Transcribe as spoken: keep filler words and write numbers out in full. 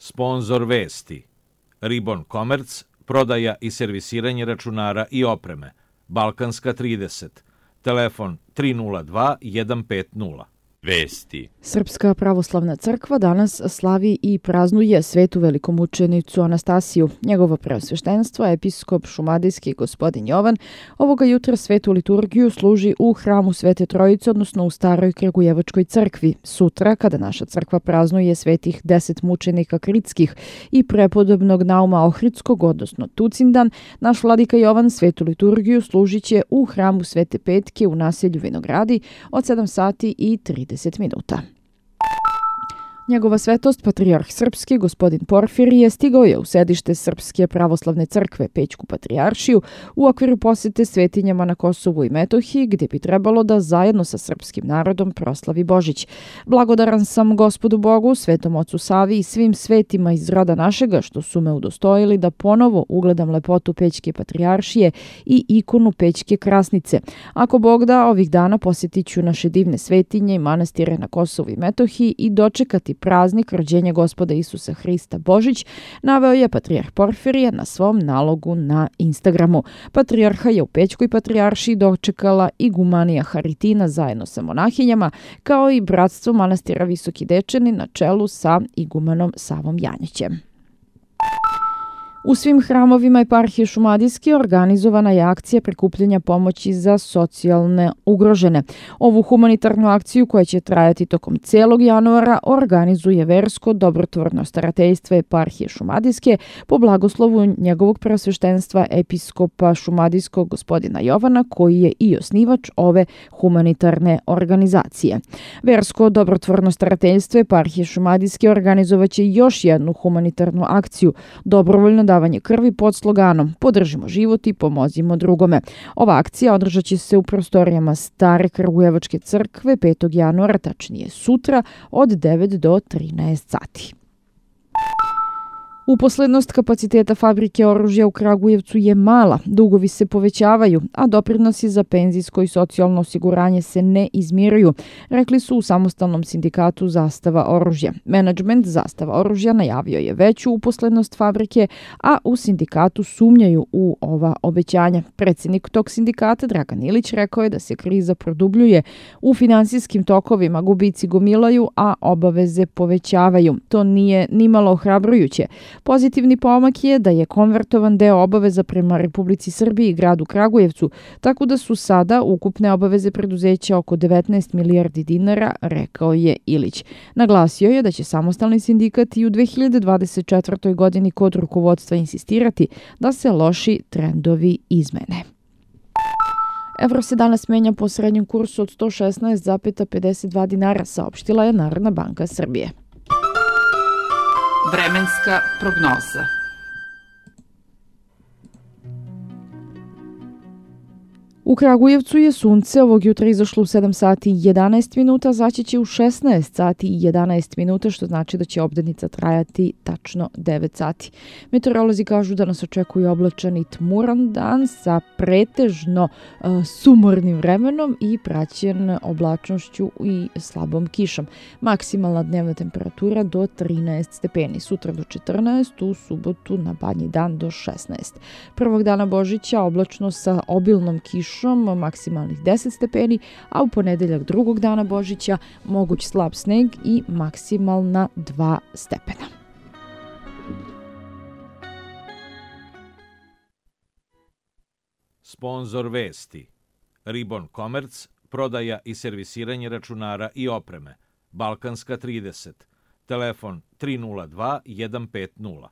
Sponzor vesti. Ribon Komerc, prodaja i servisiranje računara i opreme. Balkanska trideset. Telefon tri nula dva jedan pet nula. Vesti. Srpska pravoslavna crkva danas slavi i praznuje svetu velikomučenicu Anastasiju. Njegovo preosveštenstvo, episkop šumadijski gospodin Jovan, ovoga jutra svetu liturgiju služi u hramu Svete Trojice, odnosno u staroj Kragujevačkoj crkvi. Sutra, kada naša crkva praznuje svetih deset mučenika kritskih i prepodobnog Nauma Ohridskog, odnosno Tucindan, naš vladika Jovan svetu liturgiju služit će u hramu Svete Petke u naselju Vinogradi od sedam sati i trideset minuta. Njegova svetost, patrijarh srpski, gospodin Porfirije, stigao je u sedište Srpske pravoslavne crkve, Pećku patrijaršiju, u okviru posete svetinjama na Kosovu i Metohiji, gdje bi trebalo da zajedno sa srpskim narodom proslavi Božić. Blagodaran sam Gospodu Bogu, Svetom Ocu Savi i svim svetima iz roda našega, što su me udostojili da ponovo ugledam lepotu Pećke patrijaršije i ikonu Pećke krasnice. Ako Bog da, ovih dana posjetit ću naše divne svetinje i manastire na Kosovu i Metohiji i dočekati praznik rođenja Gospoda Isusa Hrista Božić, naveo je patrijarh Porfirije na svom nalogu na Instagramu. Patrijarha je u Pećkoj patrijaršiji dočekala igumanija Haritina zajedno sa monahinjama, kao i bratstvo manastira Visoki Dečani na čelu sa igumanom Savom Janjićem. U svim hramovima eparhije Šumadijske organizovana je akcija prikupljanja pomoći za socijalne ugrožene. Ovu humanitarnu akciju, koja će trajati tokom celog januara, organizuje versko dobrotvorno starateljstvo eparhije Šumadijske po blagoslovu njegovog preosveštenstva episkopa šumadijskog gospodina Jovana, koji je i osnivač ove humanitarne organizacije. Versko dobrotvorno starateljstvo eparhije Šumadijske organizovaće još jednu humanitarnu akciju, dobrovoljno davanje krvi pod sloganom Podržimo život i pomozimo drugome. Ova akcija održat će se u prostorijama Stare Kragujevačke crkve petog januara, tačnije sutra, od devet do trinaest sati. Uposlednost kapaciteta fabrike oružja u Kragujevcu je mala, dugovi se povećavaju, a doprinosi za penzijsko i socijalno osiguranje se ne izmiruju, rekli su u samostalnom sindikatu Zastava oružja. Menadžment Zastava oružja najavio je veću uposlednost fabrike, a u sindikatu sumnjaju u ova obećanja. Predsjednik tog sindikata, Dragan Ilić, rekao je da se kriza produbljuje, u finansijskim tokovima gubici gomilaju, a obaveze povećavaju. To nije nimalo ohrabrujuće. Pozitivni pomak je da je konvertovan deo obaveza prema Republici Srbiji i gradu Kragujevcu, tako da su sada ukupne obaveze preduzeća oko devetnaest milijardi dinara, rekao je Ilić. Naglasio je da će samostalni sindikat i u dve hiljade dvadeset četvrtoj. godini kod rukovodstva insistirati da se loši trendovi izmene. Evro se danas menja po srednjem kursu od sto šesnaest zarez pedeset dva dinara, saopštila je Narodna banka Srbije. Vremenska prognoza. U Kragujevcu je sunce ovog jutra izašlo u sedam sati i jedanaest minuta, zaći će u šesnaest sati i jedanaest minuta, što znači da će obdanica trajati tačno devet sati. Meteorolozi kažu da nas očekuje oblačan i tmuran dan sa pretežno uh, sumornim vremenom i praćen oblačnošću i slabom kišom. Maksimalna dnevna temperatura do trinaest stepeni, sutra do četrnaest, u subotu na Badnji dan do šesnaest. Prvog dana Božića oblačno sa obilnom kišom, maksimalnih deset stepeni, a u ponedeljak drugog dana Božića moguć slab sneg i maksimalna dva stepena. Sponzor vesti. Ribon Komerc, prodaja i servisiranje računara i opreme. Balkanska trideset. Telefon tri nula dva jedan pet nula.